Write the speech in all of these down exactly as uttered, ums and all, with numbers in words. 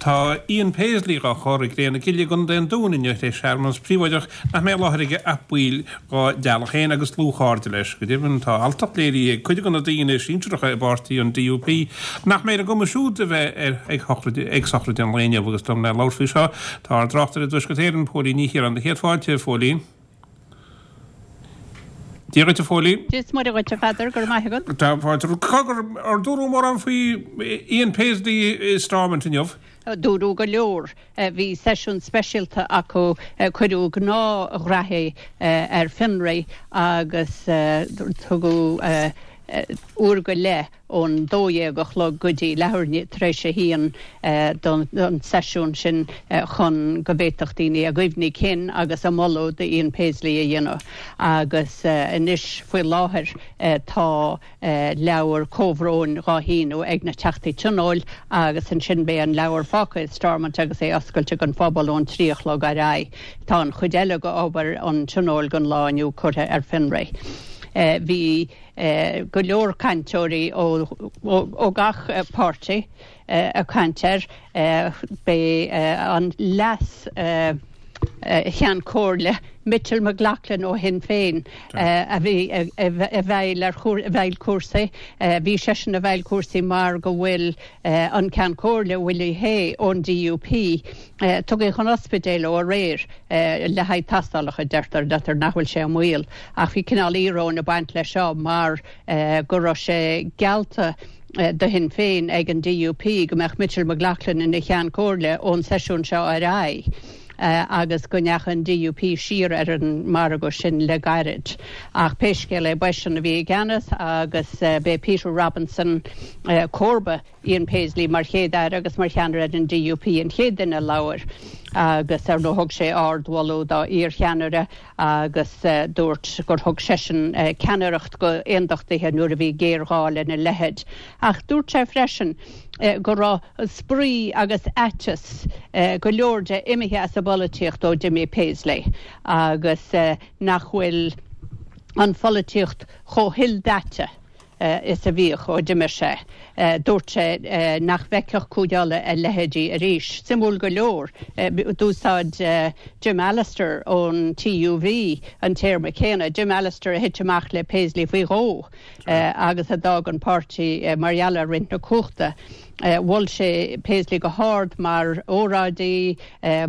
Tá Ian Paisley á chur i gCré na Cille i gContae an Dúin inniu le searmanas príobháideach nach mbeidh i láthair aige ach baill dá dteaghlach féin agus dlúthchairde leis. Go deimhin tá alltacht léirithe ag cuid de na daoine sinsearacha i bpáirtí an D U P nach mbeidh ar a gcumas siúd a bheith ar ag sochraid ag sochraid an lae inniu. Agus dom le labhairt faoi seo tá ár dtráchtaire i dTuaisceart Éireann, Póilín Ní Chiaráin. Céad fáilte, Phóilín. Dia dhuit, a Phóilín. Dia is Muire dhuit, a Pheadair, go raibh maith agat. Tá fáilte. Ar dúradh mórán faoi Ian Paisley i Stormont inniu? Dúradh go leor. Bhí seisiún speisialta acu, cuireadh gnáthghraithí ar fionraí agus tugadh uair go leith ón dó dhéag a chlog go dtí leathuair tar éis a haon don seisiún sin chun go bhféadfadh daoine a gcuimhní cinn agus a moladh d'Ian Paisley a dhéanamh. Agus anois faoi láthair tá leabhar comhbhróin dhá shíniú ag na Teachtaí Tionóil agus ansin beidh an leabhar fágtha i Stormont agus é oscailte don phobal ón trí a chlog ar aghaidh. Tá an chuid eile d'obair an Tionóil don lá inniu curtha ar fionraí. Bhí go leor cainteoirí ó gach páirtí ag caint air. B'é an leas Cheann Comhairle Mitchell McLaughlin ó Shinn Féin a bhí i bhfeighil ar i bhfeighil cúrsaí. Bhí seisean i bhfeighil cúrsaí mar go bhfuil an Ceann Comhairle Willie Hay ón D U P tugtha chun ospidéil ó aréir le haghaidh tástálacha. deirtear deirtear nach bhfuil sé i mbaol, ach bhí cineál íoróin ag baint leis seo mar go raibh sé geallta do Shinn Féin ag an D U P go mbeadh Mitchell McLaughlin ina cheann comhairle ón seisiún seo ar aghaidh, agus go ndeachaigh an D U P siar ar an margadh sin le gairid. Ach pé scéal é, b'eisean a bhí i gceannas agus b'é Peter Robinson, comharba Ian Paisley mar chéad aire agus mar cheannaire ar an D U P, an chéad duine a labhair, agus ar ndóigh thug sé ardmholadh dá iarcheannaire agus dúirt gur thug seisean ceannaireacht do aondachtaithe nuair a bhí géarghá lena leithéid. Ach dúirt sé freisin go raibh spraoi agus aiteas go leor de imithe as an bpolaitíocht ó d'imigh Paisley agus nach bhfuil an pholaitíocht chomh hildaite is a bhíodh ó d'imigh sé. Dúirt sé nach bhfeicfeadh Cúige Uladh a leithéidí arís. Suimiúil go leor, d'úsáid Jim Allister ón T U V an téarma céanna, Jim Allister a thit amach le Paisley faoi dhó agus a d'fhág an páirtí mar gheall ar roinnt na cumhachta. Mhol sé Paisley go hard mar óráidí,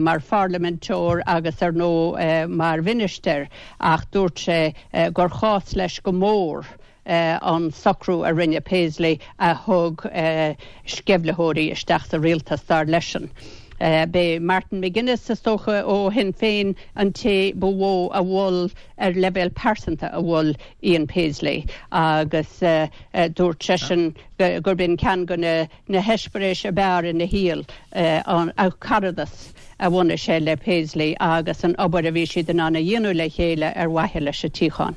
mar pharlaiminteoir agus ar ndóigh mar mhinistir, ach dúirt sé gur chás leis go mór an socrú a rinne Paisley a thug sceimhlitheoirí isteach sa rialtas, dar leisean. B'é Martin McGuinness, is dócha, ó Shinn Féin an té ba mhó a mhol ar leibhéal pearsanta a mhol Ian Paisley, agus dúirt seisean gurb in ceann de na na heispéiris ab fhearr ina shaol, an caradas a bhunaigh sé le Paisley agus an obair a bhí siad in ann a dhéanamh le chéile ar mhaithe leis an tsíocháin.